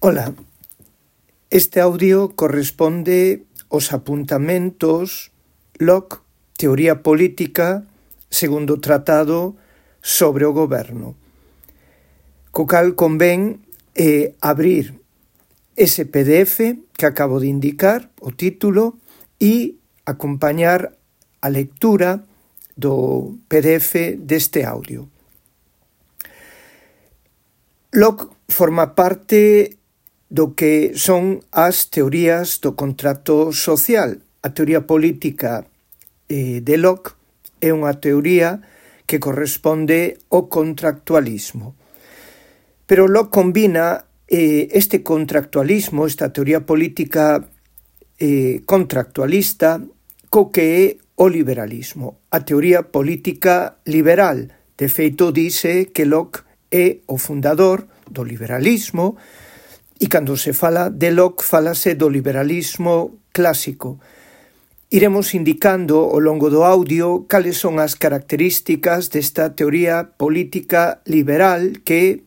Ola, este audio corresponde aos apuntamentos Locke, Teoría Política, segundo tratado sobre o goberno, co cal convén abrir ese PDF que acabo de indicar, o título, e acompañar a lectura do PDF deste audio. Locke forma parte do que son as teorías do contrato social. A teoría política de Locke é unha teoría que corresponde ao contractualismo. Pero Locke combina este contractualismo, esta teoría política contractualista, co que é o liberalismo, a teoría política liberal. De feito, dice que Locke é o fundador do liberalismo, e cando se fala de Locke, falase do liberalismo clásico. Iremos indicando ao longo do audio cales son as características desta teoría política liberal que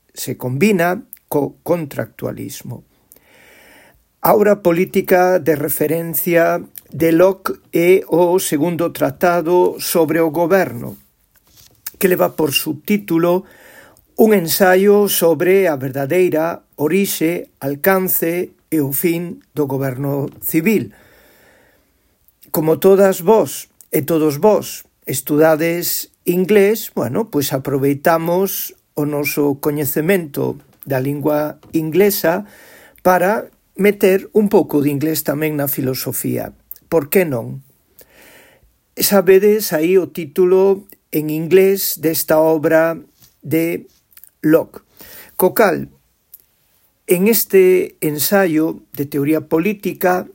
se combina co contractualismo. A obra política de referencia de Locke é o segundo tratado sobre o goberno, que leva por subtítulo un ensaio sobre a verdadeira orixe, alcance e o fin do goberno civil. Como todas vós e todos vós estudades inglés, pois aproveitamos o noso coñecemento da lingua inglesa para meter un pouco de inglés tamén na filosofía. Por que non? Sabedes aí o título en inglés desta obra de Locke, co cal, en este ensaio de teoría política,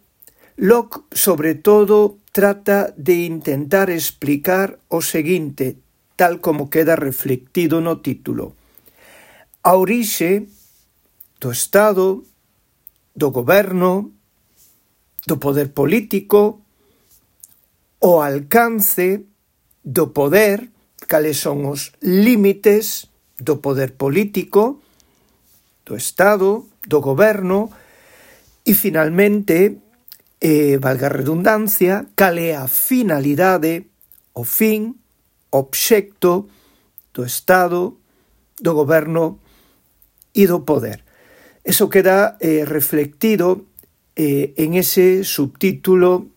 Locke, sobre todo, trata de intentar explicar o seguinte, tal como queda reflectido no título. A orixe do Estado, do goberno, do poder político, o alcance do poder, cales son os límites do poder político, do Estado, do goberno, e finalmente, valga a redundancia, cal é a finalidade, o fin, obxecto do Estado, do goberno e do poder. Eso queda reflectido en ese subtítulo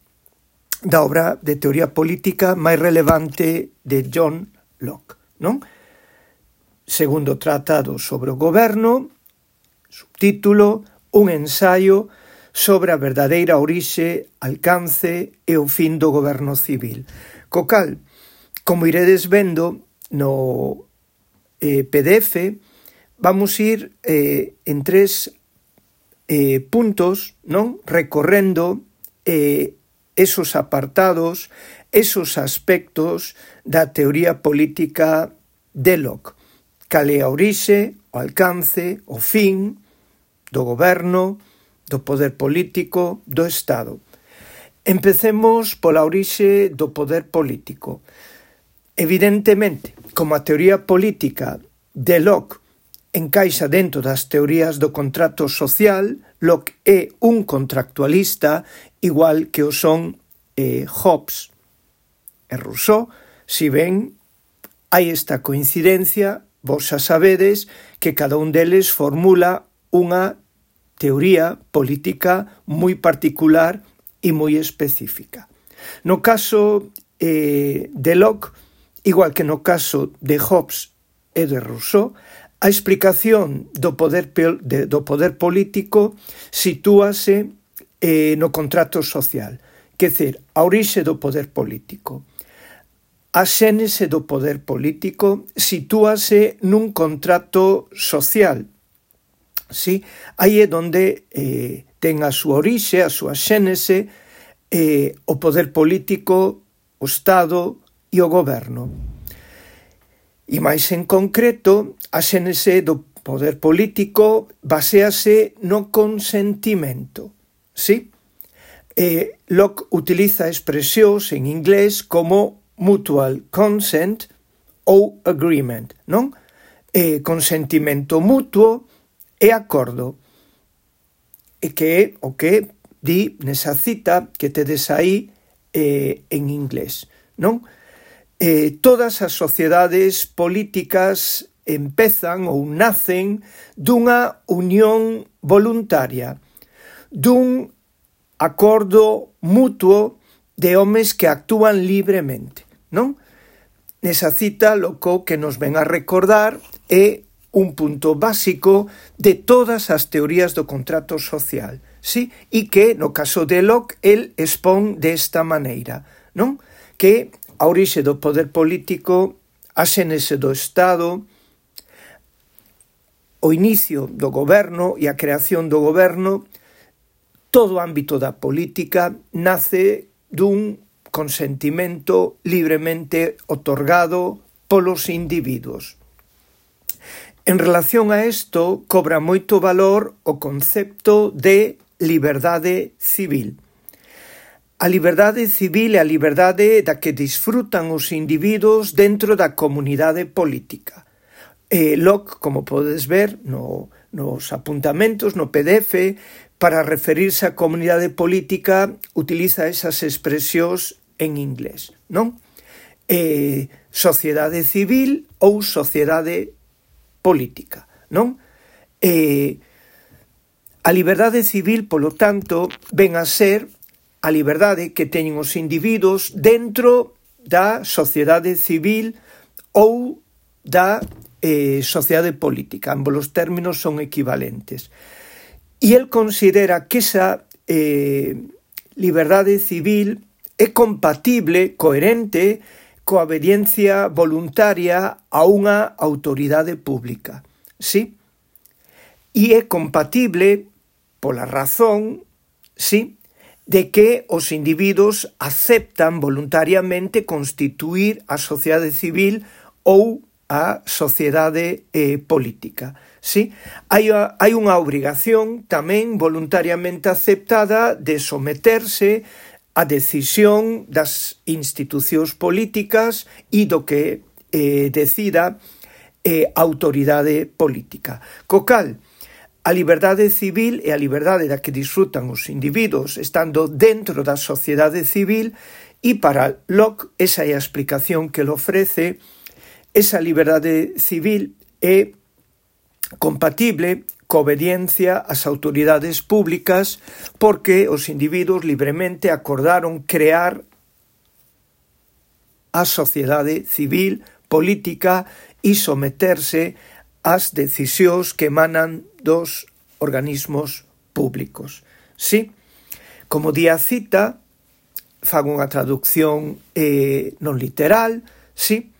da obra de teoría política máis relevante de John Locke, non? Segundo tratado sobre o goberno, subtítulo, un ensaio sobre a verdadeira orixe, alcance e o fin do goberno civil. Co cal, como iredes vendo no PDF, vamos ir en tres puntos, non? Recorrendo esos apartados, esos aspectos da teoría política de Locke. Cal é a orixe, o alcance, o fin do goberno, do poder político, do Estado. Empecemos pola orixe do poder político. Evidentemente, como a teoría política de Locke encaixa dentro das teorías do contrato social, Locke é un contractualista igual que o son Hobbes e Rousseau. Si ben hai esta coincidencia, vos xa sabedes que cada un deles formula unha teoría política moi particular e moi específica. No caso de Locke, igual que no caso de Hobbes e de Rousseau, a explicación do poder político sitúase no contrato social, que é dizer, a orixe do poder político. A xénese do poder político sitúase nun contrato social. Sí? Aí é onde ten a súa orixe, a súa xénese, o poder político, o Estado e o goberno. E máis en concreto, a xénese do poder político baséase no consentimento. Sí? Locke utiliza expresións en inglés como mutual consent ou agreement, non? Consentimento mutuo e acordo. e que é o que di nesa cita que tedes aí en inglés, non? Todas as sociedades políticas empezan ou nacen dunha unión voluntaria, dun acordo mutuo de homes que actúan libremente, non? Nesa cita, lo que nos ven a recordar é un punto básico de todas as teorías do contrato social, sí? E que, no caso de Locke, el expón desta maneira, non? Que a orixe do poder político, a xénese do Estado, o inicio do goberno e a creación do goberno, todo o ámbito da política nace dun consentimento libremente otorgado polos individuos. En relación a isto, cobra moito valor o concepto de liberdade civil. A liberdade civil é a liberdade da que disfrutan os individuos dentro da comunidade política. Locke, como podes ver nos apuntamentos, no PDF, para referirse á comunidade política, utiliza esas expresións en inglés, non? Sociedade civil ou sociedade política, non? A liberdade civil, polo tanto, ven a ser a liberdade que teñen os individuos dentro da sociedade civil ou da sociedade política. Ambos os términos son equivalentes. E el considera que esa liberdade civil é compatible, coherente, coa obediencia voluntaria a unha autoridade pública, sí? E é compatible pola razón, sí, de que os individuos aceptan voluntariamente constituir a sociedade civil ou a sociedade política. Sí? Hai unha obrigación tamén voluntariamente aceptada de someterse á decisión das institucións políticas e do que decida a autoridade política. Co cal, a liberdade civil e a liberdade da que disfrutan os individuos estando dentro da sociedade civil, e para Locke, esa é a explicación que ele ofrece, esa liberdade civil é compatible coa obediencia ás autoridades públicas porque os individuos libremente acordaron crear a sociedade civil política e someterse ás decisións que emanan dos organismos públicos. Sí? Como di a cita, fago unha traducción non literal, sí?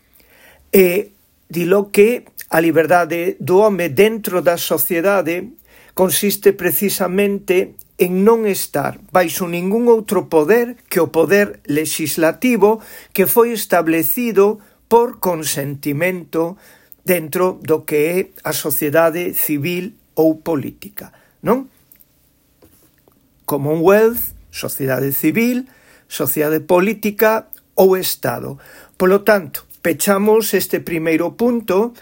Dilo que a liberdade do home dentro da sociedade consiste precisamente en non estar baixo ningún outro poder que o poder legislativo que foi establecido por consentimento dentro do que é a sociedade civil ou política, non? Commonwealth, sociedade civil, sociedade política ou Estado. Polo tanto, pechamos este primeiro punto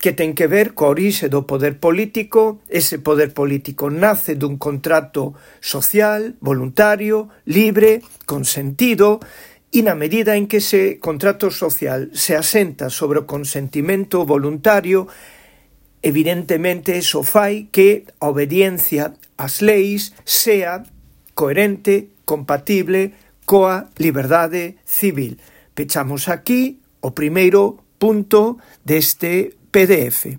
que ten que ver coa orixe do poder político. Ese poder político nace dun contrato social, voluntario, libre, consentido, e na medida en que ese contrato social se asenta sobre o consentimento voluntario, evidentemente iso fai que a obediencia ás leis sea coherente, compatible coa liberdade civil. Pechamos aquí o primeiro punto deste PDF.